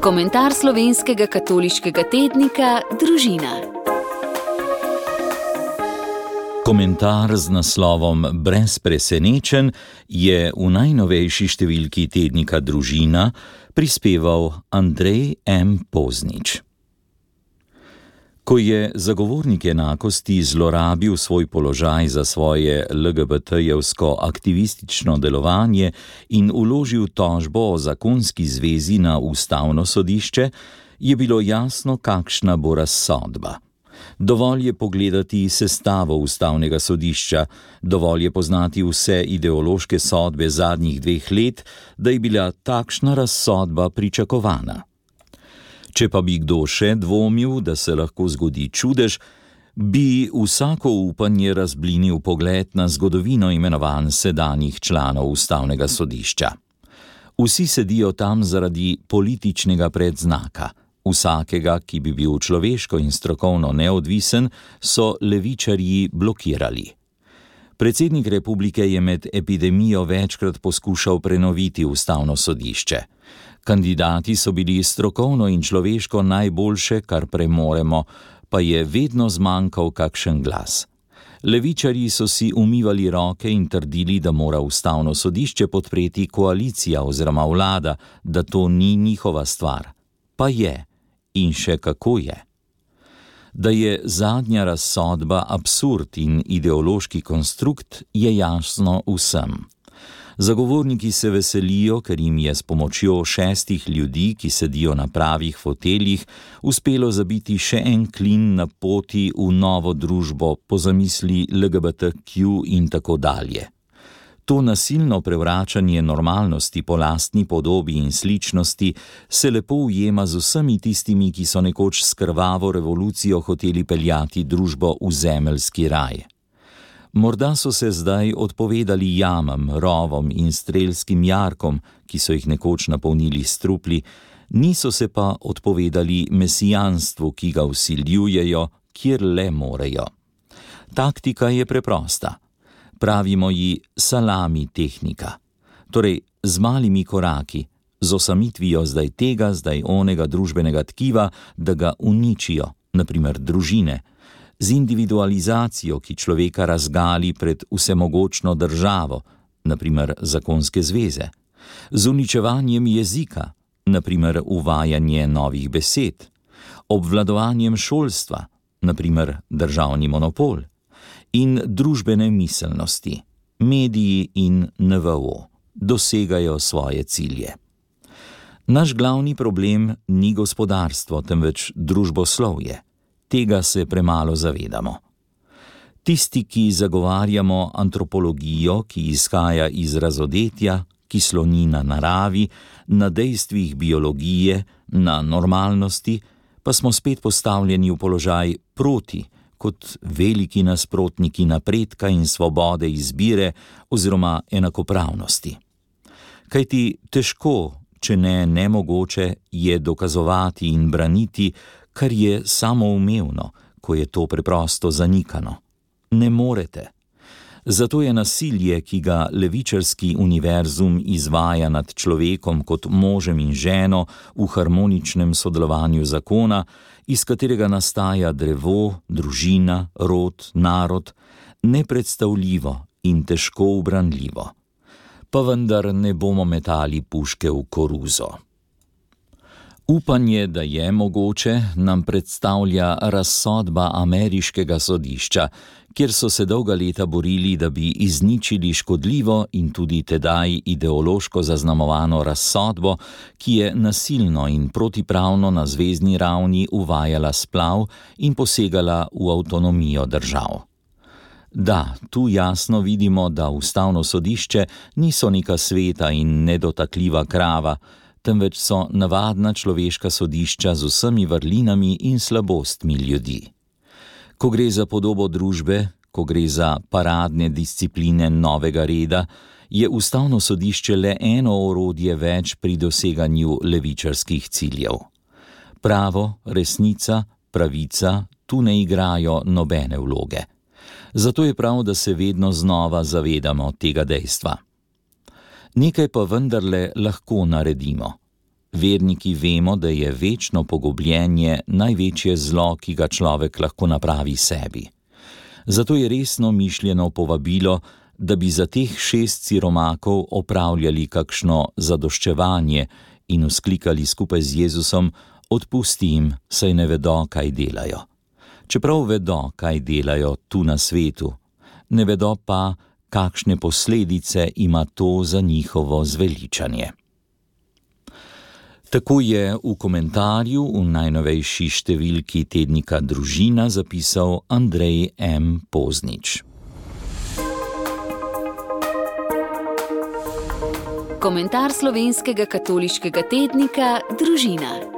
Komentar slovenskega katoliškega tednika Družina. Komentar z naslovom Brez presenečenj je v najnovejši številki tednika Družina prispeval Andrej M. Poznič. Ko je zagovornik enakosti zlorabil svoj položaj za svoje LGBT-jevsko aktivistično delovanje in vložil tožbo o zakonski zvezi na Ustavno sodišče, je bilo jasno, kakšna bo razsodba. Dovolj je pogledati sestavo Ustavnega sodišča, dovolj je poznati vse ideološke sodbe zadnjih 2 let, da je bila takšna razsodba pričakovana. Če pa bi kdo še dvomil, da se lahko zgodi čudež, bi vsako upanje razblinil pogled na zgodovino imenovanj sedanjih članov Ustavnega sodišča. Vsi sedijo tam zaradi političnega predznaka. Vsakega, ki bi bil človeško in strokovno neodvisen, so levičarji blokirali. Predsednik republike je med epidemijo večkrat poskušal prenoviti Ustavno sodišče. Kandidati so bili strokovno in človeško najboljše, kar premoremo, pa je vedno zmanjkal kakšen glas. Levičarji so si umivali roke in trdili, da mora Ustavno sodišče podpreti koalicija oziroma vlada, da to ni njihova stvar. Pa je. In še kako je. Da je zadnja razsodba absurd in ideološki konstrukt, je jasno vsem. Zagovorniki se veselijo, ker jim je s pomočjo 6 ljudi, ki sedijo na pravih foteljih, uspelo zabiti še en klin na poti v novo družbo po zamisli LGBTQ in tako dalje. To nasilno prevračanje normalnosti po lastni podobi in sličnosti se lepo ujema z vsemi tistimi, ki so nekoč s krvavo revolucijo hoteli peljati družbo v zemeljski raj. Morda so se zdaj odpovedali jamam, rovom in strelskim jarkom, ki so jih nekoč napolnili s trupli, niso se pa odpovedali mesijanstvu, ki ga vsiljujejo, kjer le morejo. Taktika je preprosta. Pravimo ji salami tehnika. Torej, z malimi koraki, z osamitvijo zdaj tega, zdaj onega družbenega tkiva, da ga uničijo, naprimer družine, z individualizacijo, ki človeka razgali pred vsemogočno državo, naprimer zakonske zveze, z uničevanjem jezika, naprimer uvajanje novih besed, obvladovanjem šolstva, naprimer državni monopol, in družbene miselnosti, mediji in NVO dosegajo svoje cilje. Naš glavni problem ni gospodarstvo, temveč družboslovje. Tega se premalo zavedamo. Tisti, ki zagovarjamo antropologijo, ki izhaja iz razodetja, ki sloni na naravi, na dejstvih biologije, na normalnosti, pa smo spet postavljeni v položaj proti, kot veliki nasprotniki napredka in svobode izbire oziroma enakopravnosti. Kajti težko, če ne nemogoče, je dokazovati in braniti, kar je samoumevno, ko je to preprosto zanikano. Ne morete. Zato je nasilje, ki ga levičarski univerzum izvaja nad človekom kot možem in ženo v harmoničnem sodelovanju zakona, iz katerega nastaja drevo, družina, rod, narod, nepredstavljivo in težko ubranljivo. Pa vendar ne bomo metali puške v koruzo. Upanje, da je mogoče, nam predstavlja razsodba ameriškega sodišča, kjer so se dolga leta borili, da bi izničili škodljivo in tudi tedaj ideološko zaznamovano razsodbo, ki je nasilno in protipravno na zvezni ravni uvajala splav in posegala v avtonomijo držav. Da, tu jasno vidimo, da Ustavno sodišče niso neka sveta in nedotakljiva krava, temveč so navadna človeška sodišča z vsemi vrlinami in slabostmi ljudi. Ko gre za podobo družbe, ko gre za paradne discipline novega reda, je Ustavno sodišče le eno orodje več pri doseganju levičarskih ciljev. Pravo, resnica, pravica tu ne igrajo nobene vloge. Zato je prav, da se vedno znova zavedamo tega dejstva. Nekaj pa vendarle lahko naredimo. Verniki vemo, da je večno pogubljenje največje zlo, ki ga človek lahko napravi sebi. Zato je resno mišljeno povabilo, da bi za teh 6 siromakov opravljali kakšno zadoščevanje in vzklikali skupaj z Jezusom: odpusti jim, saj ne vedo, kaj delajo. Čeprav vedo, kaj delajo tu na svetu, ne vedo pa, kakšne posledice ima to za njihovo zveličanje. Tako je v komentarju v najnovejši številki tednika Družina zapisal Andrej M. Poznič. Komentar slovenskega katoliškega tednika Družina.